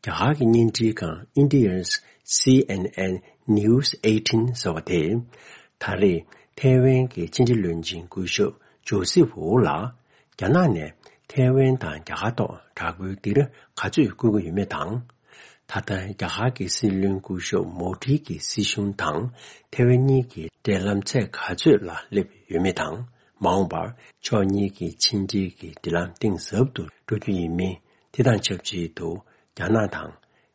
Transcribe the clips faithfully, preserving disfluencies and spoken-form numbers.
རྒྱ་གར་གྱི་བརྙན་འཕྲིན་ཁང་India's C N N News eighteen ཟེར་བ་དེས། ད་རེས་ཐའེ་ཝན་གྱི་ཕྱི་འབྲེལ་བློན་ཆེན་སྐུ་ཞབས་ཇོ་སི་ཝུའུ་ལ། རྒྱ་ནག་ནས་ཐའེ་ཝན་དང་རྒྱ་གར་ཐོག་དྲག་པོའི་སྡིགས་ར་ག་ཚོད་བསྐུལ་གྱི་ཡོད་མེད་དང་། ད་ལྟ་རྒྱ་གར་གྱི་སྲིད་བློན་སྐུ་ཞབས་མོ་དྷི་གི་སྲིད་གཞུང་དང་ཐའེ་ཝན་གཉིས་ཀྱི་འབྲེལ་ལམ་ཚད་ག་ཚོད་ལ་སླེབས་ཡོད་མེད་དང་། མ་འོངས་པར་ཕྱོགས་གཉིས་ཀྱི་ཕྱི་འབྲེལ་གྱི་འབྲེལ་ལམ་གཏིང་ཟབ་ཏུ་འགྲོ་རྒྱུ་ཡིན་མིན། དེ་དང་ཆབས་ཅིག་ཏུ་རྒྱ་ནག་དང་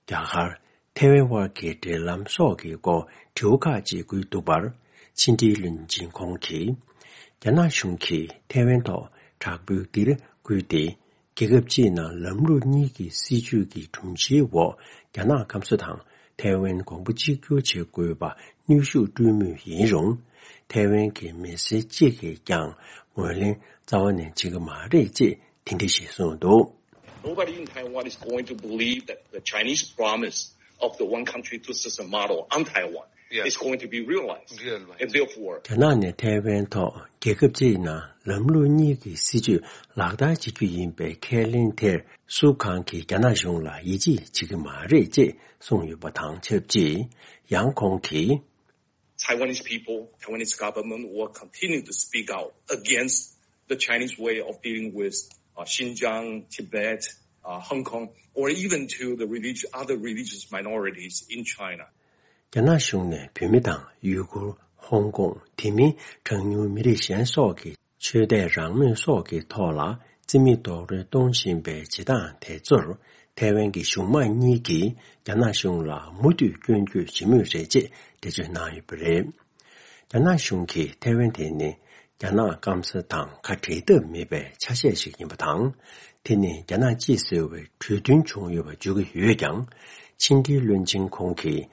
རྒྱ་གར། ཐའེ་ཝན་དབར་གྱི་འབྲེལ་ལམ་སོགས་ཀྱི་སྐོར་དྲི་བ་ཁག་ཅིག་བསྐུལ་འདུག་པར། ཕྱི་འབྲེལ་བློན་ཆེན་ཁོང་གིས། རྒྱ་ནག་གཞུང་གིས་ཐའེ་ཝན་ཐོག་དྲག་པོའི་སྡིགས་ར་བསྐུལ་ཏེ། རྒྱལ་ཁབ་གཅིག་ནང་ལམ་ལུགས་གཉིས་ཀྱི་སྲིད་བྱུས་ཀྱི་སྒྲོམ་གཞིའི་འོག་རྒྱ་ནག་སྐམ་ས་དང་ཐའེ་ཝན་གོང་བུ་གཅིག་གྱུར་བྱེད་དགོས་པ་གནོན་ཤུགས་སྤྲོད་མུས་ཡིན་རུང་། ཐའེ་ཝན་གྱི་མི་སེར་གཅིག་གིས་ཀྱང་ངོས་ལེན་རྩ་བ་ནས་བྱེད་ཀྱི་མ་རེད་ཅེས་དེ་འདྲ་ཞིག་གསུངས་འདུག། Nobody in Taiwan is going to believe that the Chinese promise of the one country, two system model on Taiwan Yes. is going to be realized. Realized. And therefore, རྒྱ་ནག་ནས་ཐའེ་ཝན་ཐོག་རྒྱལ་ཁབ་གཅིག་ནང་ལམ་ལུགས་གཉིས་ཀྱི་སྲིད་བྱུས་ལག་བསྟར་བྱེད་རྒྱུ་ཡིན་པའི་ཁས་ལེན་དེར་སུ་གང་གིས་རྒྱ་ནག་གཞུང་ལ་ཡིད་ཆེས་བྱེད་ཀྱི་མ་རེད་ཅེས་གསུངས་ཡོད་པ་དང་ཆབས་ཅིག། ཡང་ཁོང་གིས། Taiwanese people, Taiwanese government will continue to speak out against the Chinese way of dealing with uh, Xinjiang, Tibet, uh, Hong Kong, or even to the religious, other religious minorities in China. རྒྱ་ནག་གཞུང་ནས་བོད་མི་དང་ཡུ་གུར། ཧོང་ཀོང་། དེ་མིན་གྲངས་ཉུང་མི་རིགས་གཞན་སོགས་ཀྱི་ཆོས་དད་རང་མོས་སོགས་ཀྱི་ཐོག་ལ་རྩིས་མེད་རྡོག་རོལ་གཏོང་བཞིན་པའི་བྱེད་སྟངས་དེ་ཚོར་ཐའེ་ཝན་གྱི་གཞུང་མང་གཉིས་ཀྱིས་རྒྱ་ནག་གཞུང་ལ་མུ་མཐུད་སྐྱོན་བརྗོད་བྱེད་མུས་རེད་ཅེས་འགྲེལ་བརྗོད་གནང་ཡོད་པ་རེད། རྒྱ་ནག་གཞུང་གིས་ཐའེ་ཝན་དེ་ནི་རྒྱ་ནག་སྐམ་ས་དང་ཁ་བྲལ་ཐབས་མེད་པའི་ཆ་ཤས་ཤིག་ཡིན་པ་དང་། དེ་ནི་རྒྱ་ནག་གཅིག་ཟེར་བའི་གྲོས་མཐུན་བྱུང་ཡོད་པ་བརྗོད་ཀྱི་ཡོད་ཀྱང་། ཕྱི་འབྲེལ་བློན་ཆེན་ཁོང་གིས་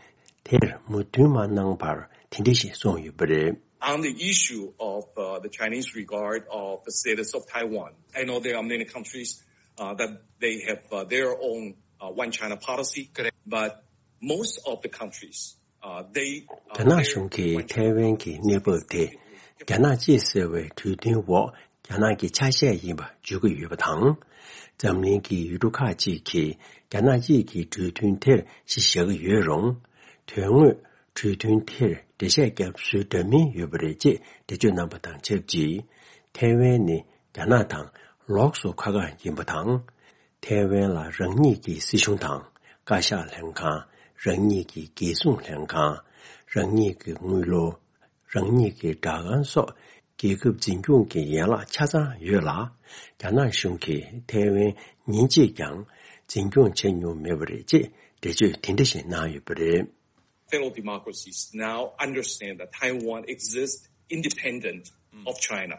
དེར་མོས་མཐུན་མ་གནང་བར་དེ་འདྲ་ཞིག་གསུངས་ཡོད་པ་རེད། On the issue of uh, the Chinese regard of the status of Taiwan, I know there are many countries uh, that they have uh, their own uh, one China policy, Correct. but most of the countries Uh, they, uh, རྒྱ་ནག་གཞུང་གིས་ཐའེ་ཝན་གྱི་གནས་བབ་དེ་རྒྱ་ནག་གཅིག་ཟེར་བའི་གྲོས་མཐུན་འོག་རྒྱ་ནག་གི་ཆ་ཤས་ཡིན་པ་བརྗོད་ཀྱི་ཡོད་པ་དང་། འཛམ་གླིང་གི་ཡུལ་གྲུ་ཁག་ཅིག་གིས་རྒྱ་ནག་གཅིག་གི་གྲོས་མཐུན་དེར་གཞི་བཞག་གི་ཡོད་རུང་། དོན་དངོས་གྲོས་མཐུན་དེར་འགྲེལ་བཤད་བརྒྱབ་སྲོལ་འདྲ་མིན་ཡོད་པ་རེད་ཅེས་འགྲེལ་བརྗོད་གནང་པ་དང་ཆབས་ཅིག། ཐའེ་ཝན་ནི་རྒྱ་ནག་དང་ལོགས་སུ་ཁ་ཁ་ཡིན་པ་དང་། ཐའེ་ཝན་ལ་རང་ཉིད་ཀྱི་སྲིད་གཞུང་དང་བཀའ་ཤག་ལྷན་ཁང་། རང་ཉིད་ཀྱི་རྒྱལ་སྲུང་ལྷན་ཁང་། རང་ཉིད་ཀྱི་དངུལ་ལོར། རང་ཉིད་ཀྱི་སྦྲག་ཁང་སོགས་རྒྱལ་ཁབ་འཛིན་སྐྱོང་གི་ཡན་ལག་ཆ་ཚང་ཡོད་ལ། རྒྱ་ནག་གཞུང་གིས་ཐའེ་ཝན་ཉིན་གཅིག་ཀྱང་འཛིན་སྐྱོང་བྱས་མྱོང་མེད་པ་རེད་ཅེས་འགྲེལ་བརྗོད་དེ་འདྲ་ཞིག་གནང་ཡོད་པ་རེད། Fellow democracies now understand that Taiwan exists independent of China,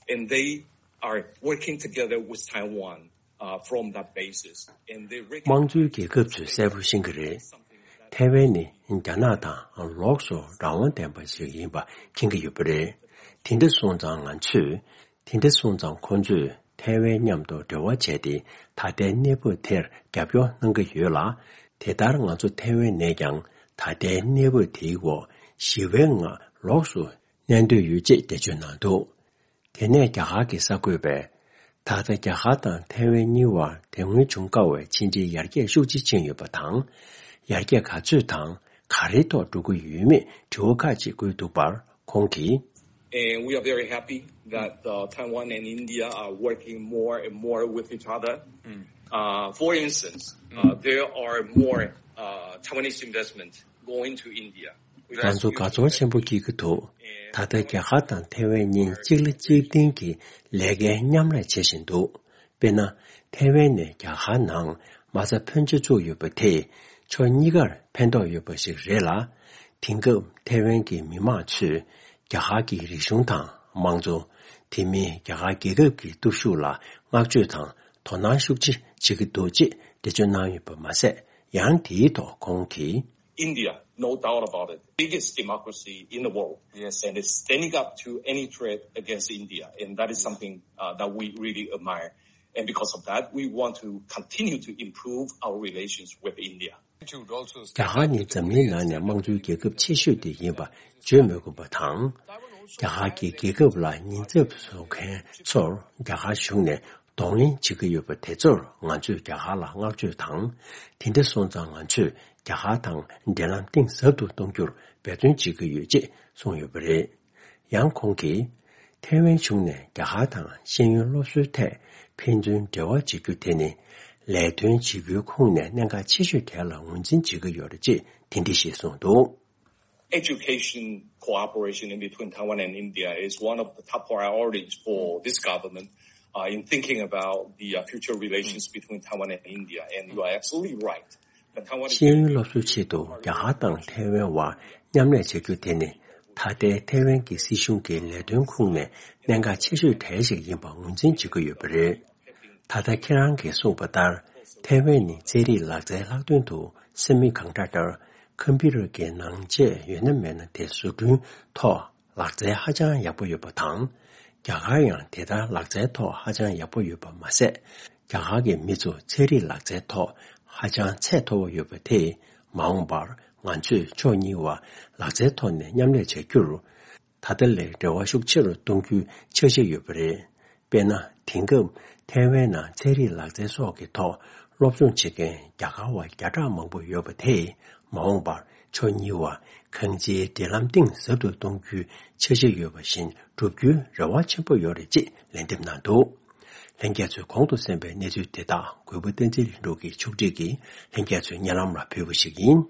and they are working together with Taiwan uh, from that basis. And they དམངས་གཙོའི་རྒྱལ་ཁབ་ཚོས་གསལ་པོ་ཤེས་ཀྱི་རེད། ཐའེ་ཝན་ནི་རྒྱ་ནག་དང་ལོགས་སུ་རང་དབང་ལྡན་པ་ཞིག་ཡིན་པ་མཁྱེན་གྱི་ཡོད་པ་རེད། དེ་འདྲ་སོང་ཙང་ང་ཚོས། དེ་འདྲ་སོང་ཙང་ཁོང་ཚོས་ཐའེ་ཝན་མཉམ་དུ་འབྲེལ་བ་བྱས་ཏེ་ད་ལྟའི་གནས་བབ་དེར་རྒྱབ་སྐྱོར་གནང་གི་ཡོད་ལ། དེ་ལྟར་ང་ཚོ་ཐའེ་ཝན་ནས་ཀྱང་ད་ལྟའི་གནས་བབ་དེའི་འོག་ཞི་བའི་ངང་ལོགས་སུ་གནས་འདོད་ཡོད་ཅེས་འགྲེལ་བརྗོད་གནང་འདུག། དེ་ནས་རྒྱ་གར་གྱི་གསར་འགོད་པས། ད་ལྟ་རྒྱ་གར་དང་ཐའེ་ཝན་གཉིས་བར་དེ་སྔོན་བྱུང་དཀའ་བའི་ཕྱི་འབྲེལ་ཡར་རྒྱས་ཤུགས་ཆེ་ཕྱིན་ཡོད་པ་དང་། ཡར་རྒྱས་ག་ཚོད་དང་ག་རེའི་ཐོག་འགྲོ་གི་ཡོད་མེད་དྲི་བ་ཁག་ཅིག་བཀོད་འདུག་པར་ཁོང་གིས། And we are very happy that uh, Taiwan and India are working more and more with each other. Uh, for instance, uh, there are more uh, Taiwanese investment going to India. ང་ཚོ་དགའ་ཚོར་ཆེན་པོ་སྐྱེ་གི་འདུག། ད་ལྟ་རྒྱ་གར་དང་ཐའེ་ཝན་གཉིས་གཅིག་ལ་གཅིག་བརྟེན་གྱི་ལས་ཀའི་མཉམ་ལས་བྱེད་བཞིན་འདུག། དཔེར་ན། ཐའེ་ཝན་ནས་རྒྱ་གར་ནང་མ་རྩ་ཕོན་ཆེ་བཙུགས་ཡོད་པ་དེས་ཕྱོགས་གཉིས་ཀར་ཕན་ཐོགས་ཡོད་པ་ཞིག་རེད་ལ། དེང་སྐབས་ཐའེ་ཝན་གྱི་མི་མང་ཚོས་རྒྱ་གར་གྱི་རིག་གཞུང་དང་དམངས་གཙོ། དེ་མིན་རྒྱ་གར་རྒྱལ་ཁབ་ཀྱི་སྟོབས་ཤུགས་ལ་བསྔགས་བརྗོད་དང་དོ་སྣང་ཤུགས་ཆེ་བྱེད་ཀྱི་འདུག་ཅེས་འགྲེལ་བརྗོད་གནང་ཡོད་པ་མ་ཟད། ཡང་དེའི་ཐོག་ཁོང་གིས། India, no doubt about it, biggest democracy in the world. Yes. And it's standing up to any threat against India. And that is something uh, that we really admire. And because of that, we want to continue to improve our relations with India. རྒྱ་གར་ནི་འཛམ་གླིང་ནང་ནས་དམངས་གཙོའི་རྒྱལ་ཁབ་ཆེ་ཤོས་དེ་ཡིན་པ་བརྗོད་མི་དགོས་པ་དང་། རྒྱ་གར་གྱི་རྒྱལ་ཁབ་ལ་ཉེན་ཚབས་བཟོ་མཁན་ཚོར་རྒྱ་གར་གཞུང་ནས། གདོང་ལེན་བྱེད་ཀྱི་ཡོད་པ་དེ་ཚོར་ང་ཚོས་རྒྱ་གར་ལ་བསྔགས་བརྗོད་དང་། དེ་འདྲ་སོང་ཙང་ང་ཚོས་རྒྱ་གར་དང་འབྲེལ་ལམ་གཏིང་ཟབ་ཏུ་གཏོང་རྒྱུར་འབད་བརྩོན་བྱེད་ཀྱི་ཡོད་ཅེས་གསུངས་ཡོད་པ་རེད། ཡང་ཁོང་གིས། ཐའེ་ཝན་གཞུང་ནས་རྒྱ་གར་དང་ཤེས་ཡོན་སློབ་གསོའི་ཐད་ཕན་ཚུན་འབྲེལ་བ་བྱེད་རྒྱུ་དེ་ནི། ལས་དོན་བྱེད་རྒྱུའི་ཁོངས་ནས་གནད་འགག་ཆེ་ཤོས་དེ་ལ་ངོས་འཛིན་བྱེད་ཀྱི་ཡོད་རེད་ཅེས་དེ་འདྲ་ཞིག་གསུངས་འདུག། Education cooperation in between Taiwan and India is one of the top priorities for this government, uh, in thinking about the, uh, future relations between Taiwan and India. And you are absolutely right. The Taiwan is ཤེས་ཡོན་སློབ་གསོའི་ཆེད་དུ་རྒྱ་གར་དང་ཐའེ་ཝན་བར་མཉམ་ལས་བྱ་རྒྱུ་དེ་ནི། ད་ལྟའི་ཐའེ་ཝན་གྱི་སྲིད་གཞུང་གི་ལས་དོན་ཁོངས་ནས་གནད་འགག་ཆེ་ཤོས་གྲས་ཤིག་ཡིན་པ་ངོས་འཛིན་བྱེད་ཀྱི་ཡོད་པ་རེད། ད་ལྟ་ཁྱེད་རང་གིས་གསུངས་པ་ལྟར། ཐའེ་ཝན་ནི་ཚན་རིག་ལག་རྩལ་ལྷག་དོན་དུ་སེ་མི་ཀོན་ཌག་ཊར། ཀམ་པུ་ཊར་གྱི་ནང་ཆས་ཡོད་ན་མེད་ན་དེ་བཟོ་སྐྲུན་ཐོག་ལག་རྩལ་ཧ་ཅང་ཡག་པོ་ཡོད་པ་དང་། རྒྱ་གར་ཡང་དེ་ལྟར་ལག་རྩལ་ཐོག་ཧ་ཅང་ཡག་པོ་ཡོད་པ་མ་ཟད། རྒྱ་གར་གྱི་མི་ཚོ་ཚན་རིག་ལག་རྩལ་ཐོག་ཧ་ཅང་ཚད་མཐོ་བོ་ཡོད་པ་དེས། མ་འོངས་པར་ང་ཚོས་ཕྱོགས་གཉིས་བར་ལག་རྩལ་ཐོག་ནས་མཉམ་ལས་བྱ་རྒྱུར། ད་ལྟ་ལས་འབྲེལ་བ་ཤུགས་ཆེ་རུ་གཏོང་རྒྱུའི་འཆར་གཞི་ཡོད་པ་རེད། དཔེར་ན། དེང་སྐབས་ཐའེ་ཝན་ནང་ཚན་རིག་ལག་རྩལ་སོགས་ཀྱི་ཐོག་སློབ་སྦྱོང་བྱེད་མཁན་རྒྱ་གར་བ་བརྒྱ་ཕྲག་མང་པོ་ཡོད་པ་དེས། མ་འོངས་པར་ཕྱོགས་གཉིས་བར་གང་ཅིའི་འབྲེལ་ལམ་གཏིང་ཟབ་ཏུ་གཏོང་རྒྱུའི་འཆར་གཞི་ཡོད་པ་བཞིན་བསྒྲུབ་རྒྱུའི་རེ་བ་ཆེན་པོ་ཡོད་རེད་ཅེས་ལན་འདེབས་གནང་འདུག། ལྷན་རྒྱས་ཚོས་གོང་དུ་གསན་པའི་གནས་ཚུལ་དེ་དག་གུས་པ་བསྟན་འཛིན་ལྷུན་གྲུབ་ཀྱིས་ཕྱོགས་སྒྲིག་གིས་ལྷན་རྒྱས་ཚོའི་སྙན་ལམ་ལ་ཕུལ་བ་ཞིག་ཡིན།